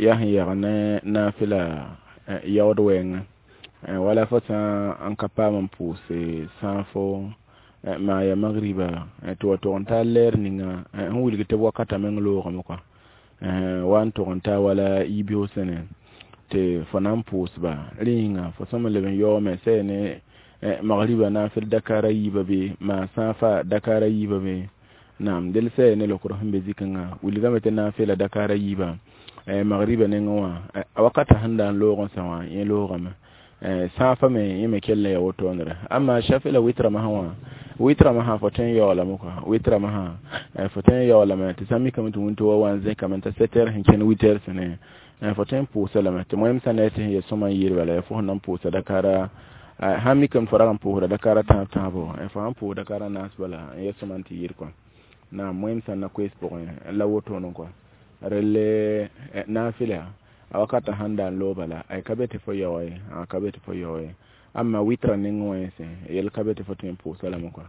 يهي يغنى نافلة يود وين ولا فتا أنكبا من بوسي سانفو ما يا مغربا تو تو لير نينا هو اللي تبوا كتا من لوغ مكا وان تو ولا يبيو سنة tɩ fo na n pʋʋsba rẽ yĩnga fo sõm n leb n yaoome sɛ ne magriba naafɩl dakara yiibã be maa sãafa dakara yiibã be. Naam, del sɛ ne lokr sẽn be zikẽngã wilgame tɩ naafɩla dakara yiibã magriba nengẽ wã a wakata sẽn da n loog n sã wã yẽ loogame sãafa me yẽ me kell n ya wotondre. Amma shafi la witra masã wã, witra masã fo tõe n yaoolame kɔa, witra masã fo tõe n yaoolame tɩ sã n mikame tɩ wĩnto wa wa n zẽkame t'a 7 heures sẽn kẽnd 8 heures sẽne fo tõe n pʋʋsa lame tɩ moẽm sã ne tɩ sẽn yel sõma n yɩɩd bala fo sẽn na n pʋʋsa dakara sãn mikame fo rag n pʋʋsda dakara tãab tãabo, fo sãn pʋʋs dakara naas bala n yel sõma n tɩ yɩɩd kɔa. Naam, moẽm sã n na koees pʋgẽ la wotone kɔa. Relle naafɩla a wakata sãn da n loog bala ay ka be tɩ fo yaoe, a ka be tɩ fo yaoe. Amma witra nengẽ wã yẽsẽ yel ka be tɩ fo tõe n pʋʋsa lame kɔa,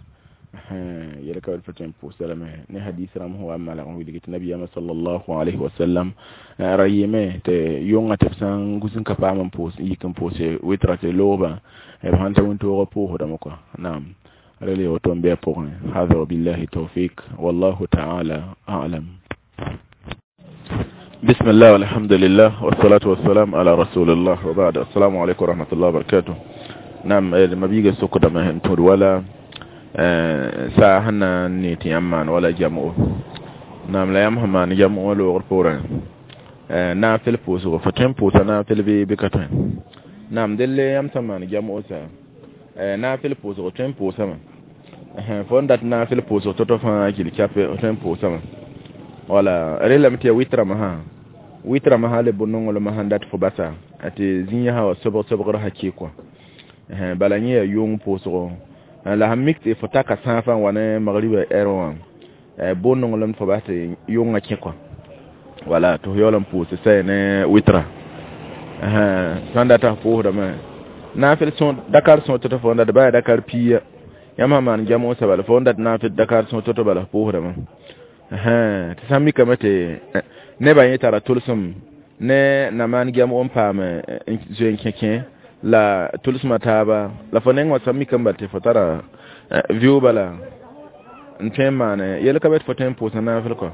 yel ka be tɩ fo tõe n pʋʋsa lame ne hadis rãmb sẽn wa n malg n wilg tɩ nabiyaamã sallallahu alayhi wa sallam ra yɩɩme tɩ yʋngã tɩ b sã n gus n ka paam n pʋʋs yik n pʋʋse witra tɩ loogba b sãn ta wĩntoogã pʋʋsdame kɔa. Naam, rel ya woto n bɩ a pʋgẽ. Hada wabillahi tawfik wallahu ta'ala a'lam. بسم الله والحمد لله والصلاة والسلام على رسول الله وبعد. السلام عليكم ورحمة الله وبركاته. نعم، ما بيجي سوق ده ما هنتور ولا ساعة هنا نيتي أمان ولا جمعه. نعم، لا يمهم ما نجمعه ولا غرفورا نافل بوسو فتن بوسا نافل بي بكتن. نعم، دل يم سما نجمعه سا نافل بوسو فتن بوسا ما فندت نافل بوسو تطفى كيل كاب فتن بوسا ما wala relame tɩ ya wɩtrame sã, wɩtrame sã le bʋ-nonglmã sẽn dat fo basa tɩ zĩ sã wa sobg sobgr sã kɩ kɔ bala yẽ yaa yʋng pʋʋsgo la sãn mik tɩ fo taka sãafã n wa ne magriba ɛr wã bʋ-nonglem fo bas tɩ yʋngã kẽ kɔ wala tɩ fo yaool n pʋʋs sɛ ne wɩtra sãn data f pʋʋsdame naafɩl dakar sõor tɩ fo n dat baa dakar piiya yãmb sã maan jamʋ sabal fo n dat naafɩl dakar sõor tɩ bala f pʋʋsdame tɩ sãn mikame tɩ nebã yẽ tara tʋlsem ne na maan gɛm n paam n zoe n kẽ la tʋlsmã taaba la fo neng wã sã mikame bal tɩ fo tara vɩʋ bala n tõe n maane yel ka be tɩ fo tõe n pʋʋsa naafɩl kɔ,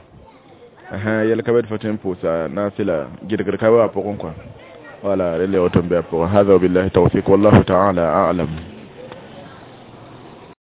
yel ka be tɩ fo tõe n pʋʋsa naafɩla gɩdgd ka be a pʋgẽ kɔ wala rel ya woto n be a pʋgẽ. Hada wabillahi tawfik wallahu taala a'lam.